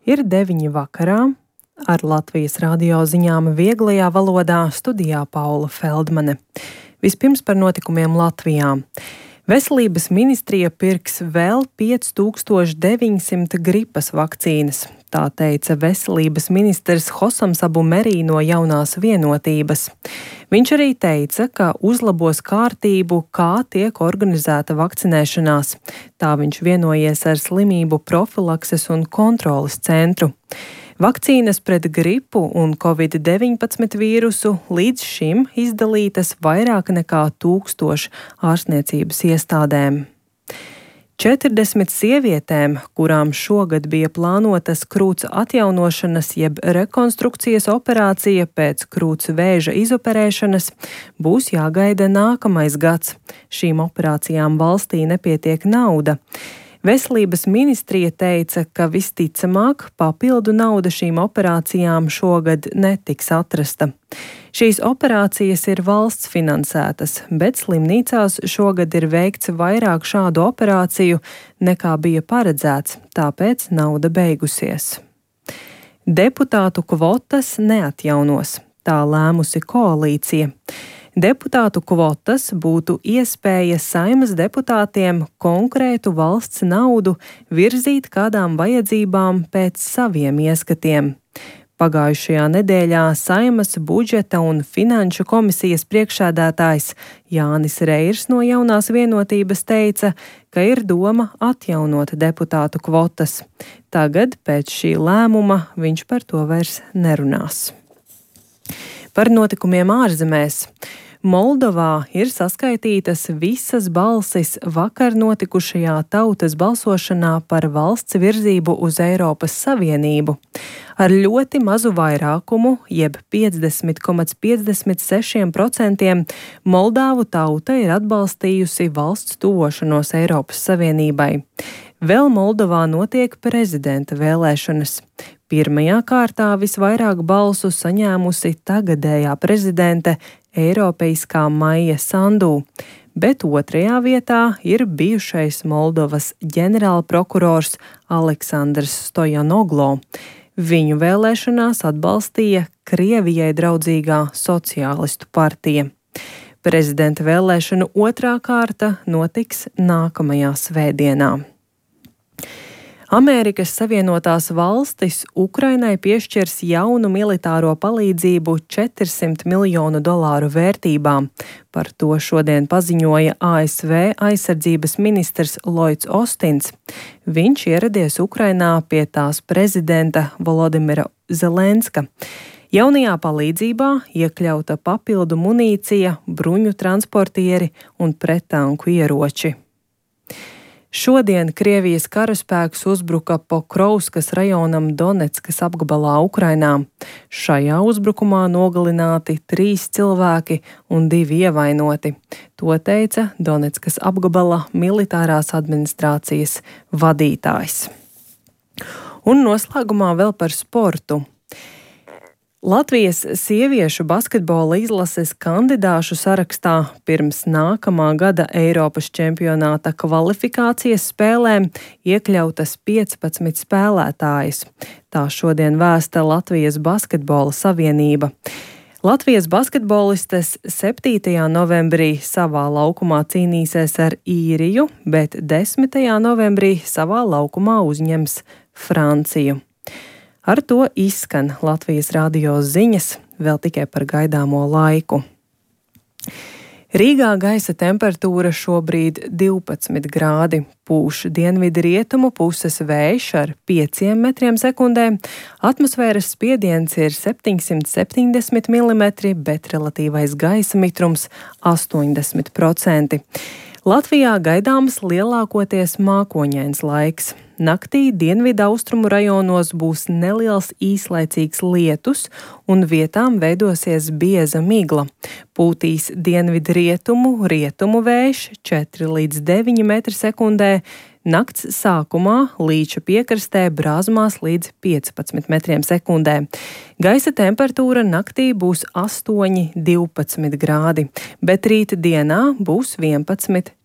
Ir 9 vakarā. Ar Latvijas radio ziņām vieglajā valodā studijā Paula Feldmane. Vispirms par notikumiem Latvijā. Veselības ministrija pirks vēl 5900 gripas vakcīnas. Tā teica veselības ministrs Hosams Abu Merī no Jaunās vienotības. Viņš arī teica, ka uzlabos kārtību, kā tiek organizēta vakcinēšanās. Tā viņš vienojies ar slimību profilakses un kontroles centru. Vakcīnas pret gripu un Covid-19 vīrusu līdz šim izdalītas vairāk nekā 1000 ārstniecības iestādēm. 40 sievietēm, kurām šogad bija plānotas krūts atjaunošanas jeb rekonstrukcijas operācija pēc krūts vēža izoperēšanas, būs jāgaida nākamais gads. Šīm operācijām valstī nepietiek nauda. Veselības ministrija teica, ka visticamāk papildu nauda šīm operācijām šogad netiks atrasta. Šīs operācijas ir valsts finansētas, bet slimnīcās šogad ir veikts vairāk šādu operāciju nekā bija paredzēts, tāpēc nauda beigusies. Deputātu kvotas neatjaunos, tā lēmusi koalīcija. Deputātu kvotas būtu iespēja Saeimas deputātiem konkrētu valsts naudu virzīt kādām vajadzībām pēc saviem ieskatiem. Pagājušajā nedēļā Saeimas budžeta un finanšu komisijas priekšsēdētājs Jānis Reirs no Jaunās vienotības teica, ka ir doma atjaunot deputātu kvotas. Tagad pēc šī lēmuma viņš par to vairs nerunās. Par notikumiem ārzemēs. Moldovā ir saskaitītas visas balsis vakar notikušajā tautas balsošanā par valsts virzību uz Eiropas Savienību. Ar ļoti mazu vairākumu, jeb 50,56%, Moldāvu tauta ir atbalstījusi valsts tuvošanos Eiropas Savienībai. Vēl Moldovā notiek prezidenta vēlēšanas. Pirmajā kārtā visvairāk balsu saņēmusi tagadējā prezidente Eiropeiskā Maija Sandu, bet otrajā vietā ir bijušais Moldovas ģenerālprokurors Aleksandrs Stojanoglo. Viņu vēlēšanās atbalstīja Krievijai draudzīgā sociālistu partija. Prezidenta vēlēšanu otrā kārta notiks nākamajā svētdienā. Amerikas Savienotās valstis Ukrainai piešķirs jaunu militāro palīdzību $400 miljonu vērtībā. Par to šodien paziņoja ASV aizsardzības ministrs Lloyds Ostins. Viņš ieradies Ukrainā pie tās prezidenta Volodimira Zelenska. Jaunajā palīdzībā iekļauta papildu munīcija, bruņu transportieri un prettanku ieroči. Šodien Krievijas karaspēks uzbruka Pokrovskas rajonam Doneckas apgabalā Ukrainā. Šajā uzbrukumā nogalināti 3 cilvēki un 2 ievainoti. To teica Doneckas apgabala militārās administrācijas vadītājs. Un noslēgumā vēl par sportu. Latvijas sieviešu basketbola izlases kandidāšu sarakstā pirms nākamā gada Eiropas čempionāta kvalifikācijas spēlēm iekļautas 15 spēlētājas. Tā šodien vēsta Latvijas basketbola savienība. Latvijas basketbolistes 7. novembrī savā laukumā cīnīsies ar Īriju, bet 10. novembrī savā laukumā uzņems Franciju. Ar to izskan Latvijas radio ziņas, vēl tikai par gaidāmo laiku. Rīgā gaisa temperatūra šobrīd 12 grādi, pūš dienvidu rietumu puses vējš ar 5 metriem sekundē, atmosfēras spiediens ir 770 mm, bet relatīvais gaisa mitrums 80%. Latvijā gaidāms lielākoties mākoņains laiks. Naktī dienvidu austrumu rajonos būs neliels īslaicīgs lietus un vietām veidosies bieza migla. Pūtīs dienvidu rietumu vējš 4 līdz 9 metri sekundē, nakts sākumā Līča piekrastē brāzmās līdz 15 metriem sekundē. Gaisa temperatūra naktī būs 8–12 grādi, bet rīta dienā būs 11–14 grādi.